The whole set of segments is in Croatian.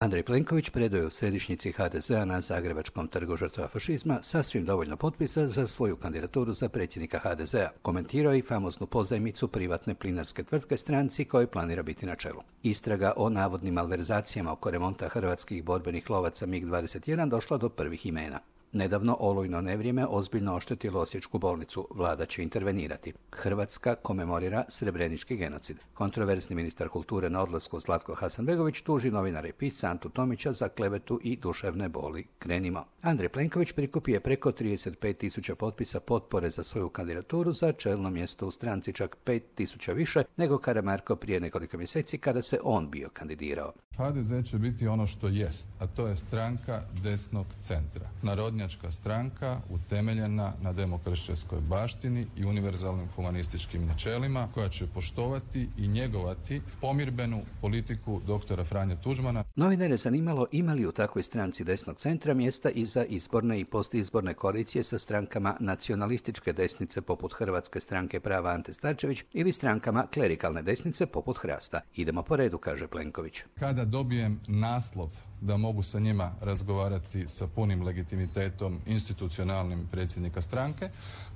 Andrej Plenković predao je u središnjici HDZ-a na Zagrebačkom trgu žrtava fašizma sasvim dovoljno potpisa za svoju kandidaturu za predsjednika HDZ-a. Komentirao je i famoznu pozajmicu privatne plinarske tvrtke stranci kojoj planira biti na čelu. Istraga o navodnim malverzacijama oko remonta hrvatskih borbenih lovaca MiG-21 došla do prvih imena. Nedavno olujno nevrijeme ozbiljno oštetilo Osječku bolnicu. Vlada će intervenirati. Hrvatska komemorira srebrenički genocid. Kontroverzni ministar kulture na odlasku Zlatko Hasanbegović tuži novinara i pisca Antu Tomića za klevetu i duševne boli. Krenimo. Andrej Plenković prikupio je preko 35.000 potpisa potpore za svoju kandidaturu za čelno mjesto u stranci, čak 5.000 više nego Karamarko prije nekoliko mjeseci kada se on bio kandidirao. HDZ će biti ono što jest, a to je stranka desnog centra. Narodnjačka stranka utemeljena na demokršćanskoj baštini i univerzalnim humanističkim načelima, koja će poštovati i njegovati pomirbenu politiku doktora Franje Tuđmana. Novinare je zanimalo ima li u takvoj stranci desnog centra mjesta i za izborne i postizborne koalicije sa strankama nacionalističke desnice poput Hrvatske stranke prava Ante Starčević ili strankama klerikalne desnice poput Hrasta. Idemo po redu, kaže Plenković. Kada dobijem naslov da mogu sa njima razgovarati sa punim legitimitetom institucionalnim predsjednika stranke,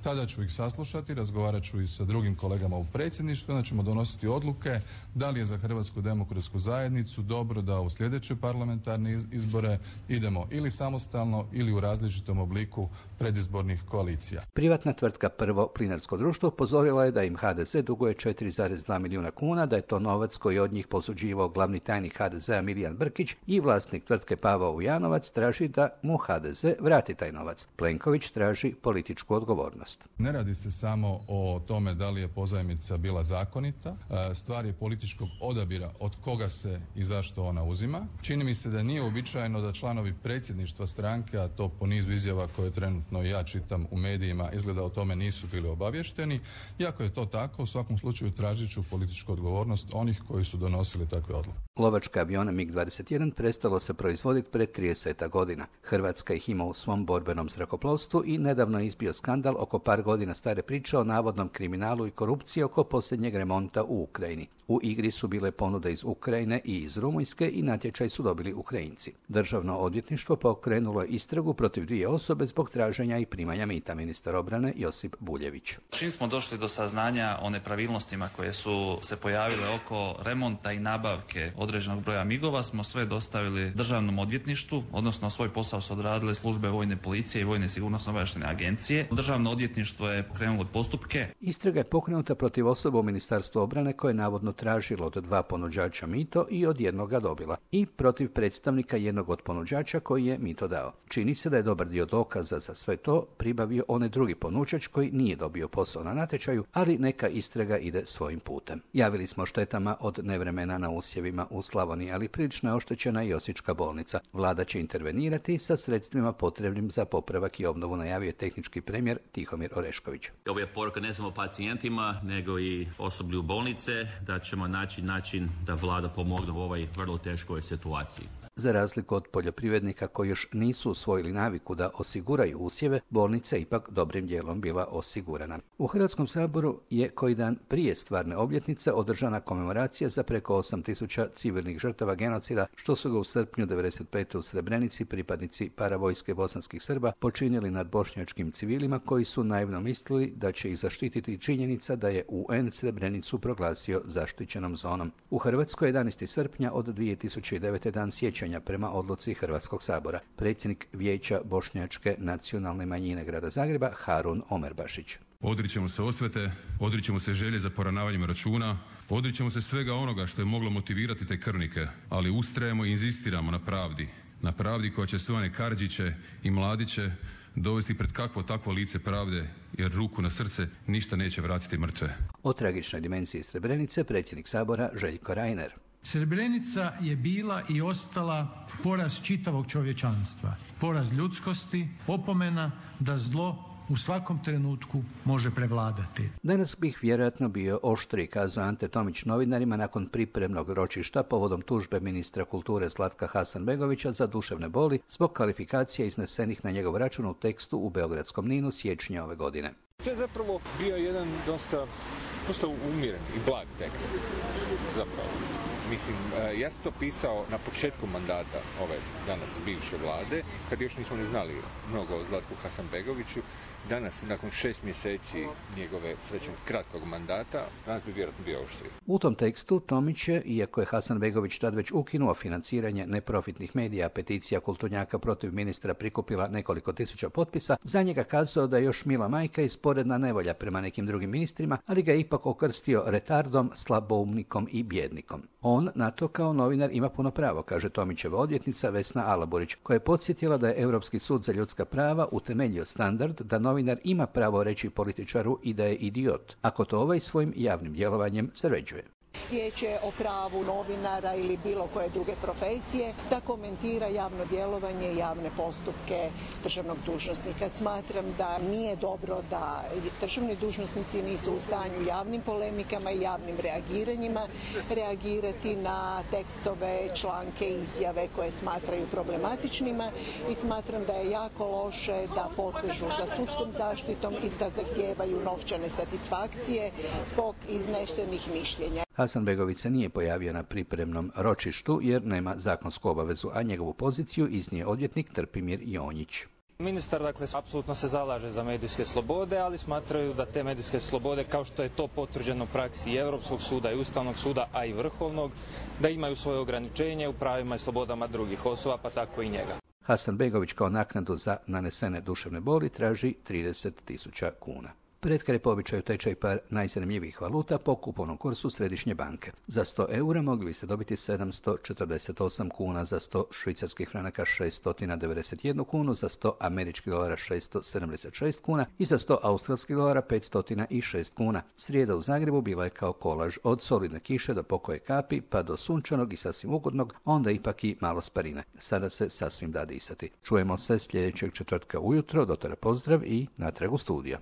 tada ću ih saslušati, razgovarat ću i sa drugim kolegama u predsjedništvu, onda ćemo donositi odluke da li je za Hrvatsku demokratsku zajednicu dobro da u sljedeće parlamentarne izbore idemo ili samostalno ili u različitom obliku predizbornih koalicija. Privatna tvrtka Prvo plinarsko društvo upozorila je da im HDZ duguje 4,2 milijuna kuna, da je to novac koji od njih posuđivao glavni tajnik HDZ-a Milijan Brkić i vlasnik tvrtke Pavao Ujanovac traži da mu HDZ vrati taj novac. Plenković traži političku odgovornost. Ne radi se samo o tome da li je pozajmica bila zakonita, stvar je političkog odabira od koga se i zašto ona uzima. Čini mi se da nije uobičajeno da članovi predsjedništva stranke, a to po nizu izjava koje trenutno ja čitam u medijima, izgleda o tome nisu bili obavješteni. Iako je to tako, u svakom slučaju tražit ću političku odgovornost onih koji su donosili takve odluke. Lovačke avione MiG-21 prestalo se proizvoditi pred 30 godina. Hrvatska ih ima u svom borbenom zrakoplovstvu i nedavno je izbio skandal oko par godina stare priče o navodnom kriminalu i korupciji oko posljednjeg remonta u Ukrajini. U igri su bile ponude iz Ukrajine i iz Rumunjske i natječaj su dobili Ukrajinci. Državno odvjetništvo pokrenulo je istragu protiv dvije osobe zbog traženja i primanja mita, ministar obrane Josip Buljević. Čim smo došli do saznanja o nepravilnostima koje su se pojavile oko remonta i nabavke određenog broja migova, smo sve dostavili Državnom odvjetništvu, odnosno svoj posao su odradile službe vojne policije i vojne sigurnosno-obavještajne agencije. Državno odvjetništvo je pokrenulo postupke. Istraga je pokrenuta protiv osoba u Ministarstvu obrane koje je navodno tražilo od 2 ponuđača mito i od jednoga dobila, i protiv predstavnika jednog od ponuđača koji je mito dao. Čini se da je dobar dio dokaza za sve to pribavio onaj drugi ponuđač koji nije dobio posao na natječaju, ali neka istraga ide svojim putem. Javili smo štetama od nevremena na usjevima u Slavoniji, ali prilično je oštećena i Osječka bolnica. Vlada će intervenirati sa sredstvima potrebnim za popravak i obnovu, najavio je tehnički premijer Tihomir Orešković. Ovo je poruka ne samo pacijentima, nego i osoblju bolnice, da ćemo naći način da vlada pomogne u ovoj vrlo teškoj situaciji. Za razliku od poljoprivrednika koji još nisu usvojili naviku da osiguraju usjeve, bolnica je ipak dobrim dijelom bila osigurana. U Hrvatskom saboru je koji dan prije stvarne obljetnice održana komemoracija za preko 8.000 civilnih žrtava genocida, što su ga u srpnju 1995. u Srebrenici pripadnici paravojske bosanskih Srba počinili nad bošnjačkim civilima koji su naivno mislili da će ih zaštititi činjenica da je UN Srebrenicu proglasio zaštićenom zonom. U Hrvatskoj 11. srpnja od 2009. dan sjećanja prema odluci Hrvatskog sabora. Predsjednik Vijeća bošnjačke nacionalne manjine grada Zagreba Harun Omerbašić. Odričemo se osvete, odričemo se želje za poravnavanjem računa, odričemo se svega onoga što je moglo motivirati te krvnike, ali ustrajemo i inzistiramo na pravdi koja će sve one Kardžiće i Mladiće dovesti pred kakvo takvo lice pravde, jer ruku na srce ništa neće vratiti mrtve. O tragičnoj dimenziji Srebrenice predsjednik sabora Željko Reiner. Srebrenica je bila i ostala poraz čitavog čovječanstva, poraz ljudskosti, opomena da zlo u svakom trenutku može prevladati. Danas bih vjerojatno bio oštriji, kazao Ante Tomić novinarima nakon pripremnog ročišta povodom tužbe ministra kulture Zlatka Hasanbegovića za duševne boli zbog kvalifikacija iznesenih na njegov račun u tekstu u beogradskom NIN-u siječnja ove godine. To je zapravo bio jedan dosta umjeren i blag tekst. Zapravo. Mislim, ja sam to pisao na početku mandata ove danas bivše vlade, kad još nismo ni znali mnogo o Zlatku Hasanbegoviću. Danas, nakon 6 mjeseci njegove srećom kratkog mandata, danas bi vjerojatno bio oštriji. U tom tekstu Tomić je, iako je Hasanbegović tad već ukinuo financiranje neprofitnih medija, peticija kulturnjaka protiv ministra prikupila nekoliko tisuća potpisa, za njega kazao da je još mila majka i sporedna nevolja prema nekim drugim ministrima, ali ga je ipak okrstio retardom, slaboumnikom i bjednikom. On na to kao novinar ima puno pravo, kaže Tomićeva odvjetnica Vesna Alaburić, koja je podsjetila da je Europski sud za ljudska prava utemeljio standard da novinar ima pravo reći političaru i da je idiot, ako to ovaj svojim javnim djelovanjem sređuje. Riječ je o pravu novinara ili bilo koje druge profesije da komentira javno djelovanje i javne postupke državnog dužnosnika. Smatram da nije dobro da državni dužnosnici nisu u stanju javnim polemikama i javnim reagiranjima reagirati na tekstove, članke, izjave koje smatraju problematičnima i smatram da je jako loše da posežu za sudskom zaštitom i da zahtijevaju novčane satisfakcije zbog iznesenih mišljenja. Hasanbegović se nije pojavio na pripremnom ročištu jer nema zakonsku obavezu, a njegovu poziciju iznije odvjetnik Trpimir Jonjić. Ministar, apsolutno se zalaže za medijske slobode, ali smatraju da te medijske slobode, kao što je to potvrđeno u praksi i Europskog suda i Ustavnog suda, a i Vrhovnog, da imaju svoje ograničenje u pravima i slobodama drugih osoba, pa tako i njega. Hasanbegović kao naknadu za nanesene duševne boli traži 30.000 kuna. Pred po običaju tečaj par najzanimljivijih valuta po kupovnom kursu Središnje banke. Za 100 eura mogli biste dobiti 748 kuna, za 100 švicarskih franaka 691 kunu, za 100 američkih dolara 676 kuna i za 100 australskih dolara 506 kuna. Srijeda u Zagrebu bila je kao kolaž od solidne kiše do pokoje kapi, pa do sunčanog i sasvim ugodnog, onda ipak i malo sparine. Sada se sasvim da disati. Čujemo se sljedećeg četvrtka ujutro, do tada pozdrav i natrag u studio.